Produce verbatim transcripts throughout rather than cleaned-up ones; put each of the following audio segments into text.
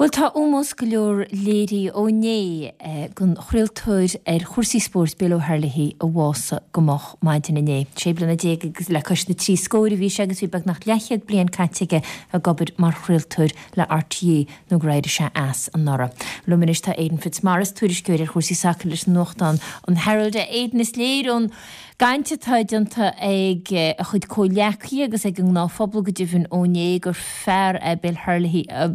Bhuel tá ómós go leor léirithe ó inné don chraoltóir ar chúrsaí spóirt Bill O'Herlihy a bhásaigh go moch maidin inné. Sé bliana déag agus le cois na trí scóir a bhí sé agus bhí beagnach leathchéad bliain caite aige ag obair mar chraoltóir le RTÉ nó gur éirigh sé as anuraidh. Liom anois tá Aidan Fitzmaurice, tuairisceoir ar chúrsaí sacair leis an nuachtán an Herald. Aidan is léir ón gcaint atá déanta ag a chuid comhghleacaithe agus ag an ngnáthphobal go deimhin ó inné gur fear é Bill Herlihy a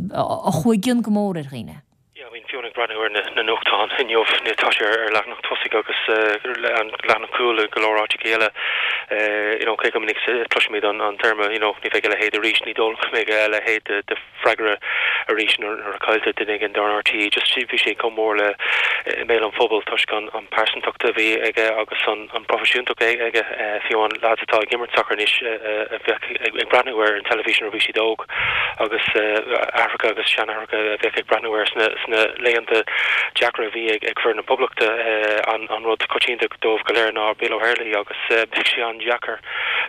chuaigh i gcion go mór ar dhaoine. Yeah, I mean fiú ag breathnú ar na, na nuachtáin inniu tá sé ar leathanach tosaigh agus uh, an leathanach cúil go leor áiteacha eile uh, you know, cé go minic cloisimid an, an téarma you know, ní bheidh a leithéid arís ní dóigh go mbeidh a leithéid de, de freagra arís nuair a cailltear duine éigin don RTÉ just bhí sé chomh mór le i mbéal an phobail toisc an, an pearsantacht a bhí aige agus an, an proifisiúntacht aige uh, fiú an lads atá ag imirt sacar anois uh, a bheith ag, ag breathnú ar an teilifís nuair a bhí siad óg agus uh, aithreacha agus seanaithreacha a bheith ag breathnú ar sna, sna laethanta deacra a bhí ag, ag foireann na Poblachta uh, an, an rud coitianta dóibh go léir ná Bill O'Herlihy agus uh, bheadh sé an-deacair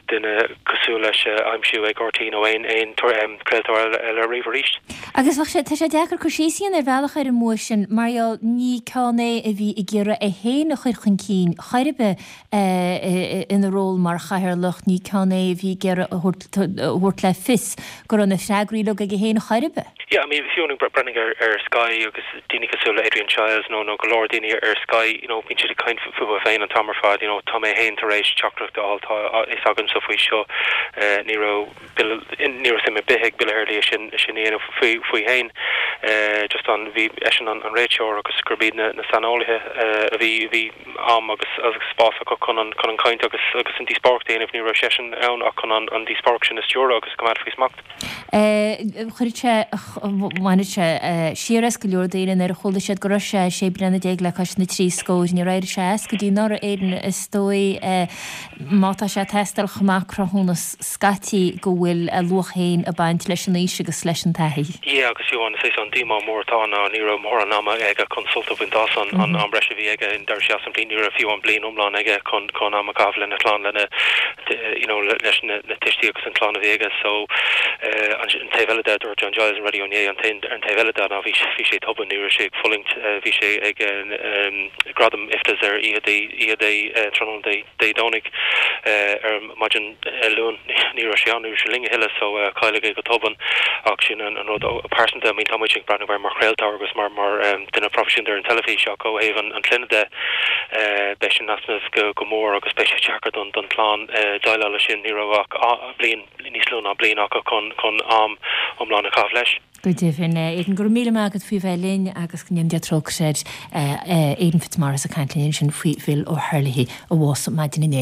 duine cosúil leis uh, aimsiú ag RTÉ nó aon aon um, craoltóir eile riamh arís. Agus bheadh sé tá sé deacair cur síos ar bhealach ar an mbua sin mar gheall ní ceann é a bhí ag iarraidh é féin a chur chun cinn chor ar bith ina ról mar chathaoirleach ní ceann é a bhí ag iarraidh a thabhairt le fios go raibh na freagraí uilig aige féin chor ar bith. Yeah, I mean fiú breathnaigh ar, ar Sky agus daoine cosúil le Adrian Chiles nó nó go leor daoine ar Sky you know, bíonn siad ag caint fúthu féin an t-am ar fad you know, tá mé féin tar éis teachtaireacht a fháil tá is agamsa faoi seo uh, ní raibh ní raibh suim ar bith ag Bill Herlihy sin sin dhéanamh faoi faoi féin uh, just an bhí eisean an, an réiteoir agus gurb iad na, na saineolaithe uh, a bhí bhí am agus agus spás acu chun an chun an caint agus agus an díospóireacht a dhéanamh ní raibh seisean ann ach chun an, an díospóireacht sin a stiúradh agus coimeád faoi smacht. Chuir sé bhain sé siar as go leor daoine nuair a chuala siad go raibh sé sé bliana déag le cois na trí scór níor éirigh sé as go dtí anuraidh Aidan is dóigh má tá sé ag teastáil chomh maith cruthúnas scaití go bhfuil a luach féin ag baint leis an aois agus leis an taithí. Yeah, agus fiú an sé an díomá mór atá ná ní raibh mórán ama aige chun sult a bhaint as an an am breise a bhí aige in dar sé an bliain ní raibh fiú an bliain iomlán aige chun chun am a chaitheamh lena chlann lena you know, leis na, na tuistí agus an chlann a bhí aige so uh, an, an taobh eile de dúirt John Giles an radio inné an an taobh eile de ná bhí bhí sé tobann ní raibh sé ag fulaingt uh, bhí sé ag um, gradam IFTAs ar oíche Dé oíche Dé uh, tráthnóna Dé Dé Domhnaigh uh, ar maidin uh, Luain ní raibh sé an ní raibh sé linn a thuilleadh so uh, cailleadh é go tobann ach sin an, an rud pearsanta I mean tá muid ag breathnú air mar chraoltóir agus mar mar um, duine proifisiúnta ar an teilifís ach ó thaobh an, an clainne de uh, beidh sin easnamh go, go mór agus beidh sé deacair don don chlann uh, déileáil leis sin ní raibh ach bliain níos lú ná bliain acu chun chun am iomlán a chaitheamh leis. Go deimhin Aidan go raibh míle maith agat faoi bheith linn agus go ndéana Dia trócaire air Aidan Fitzmaurice ag caint linn sin faoi Bill O'Herlihy a bhásaigh maidin inné.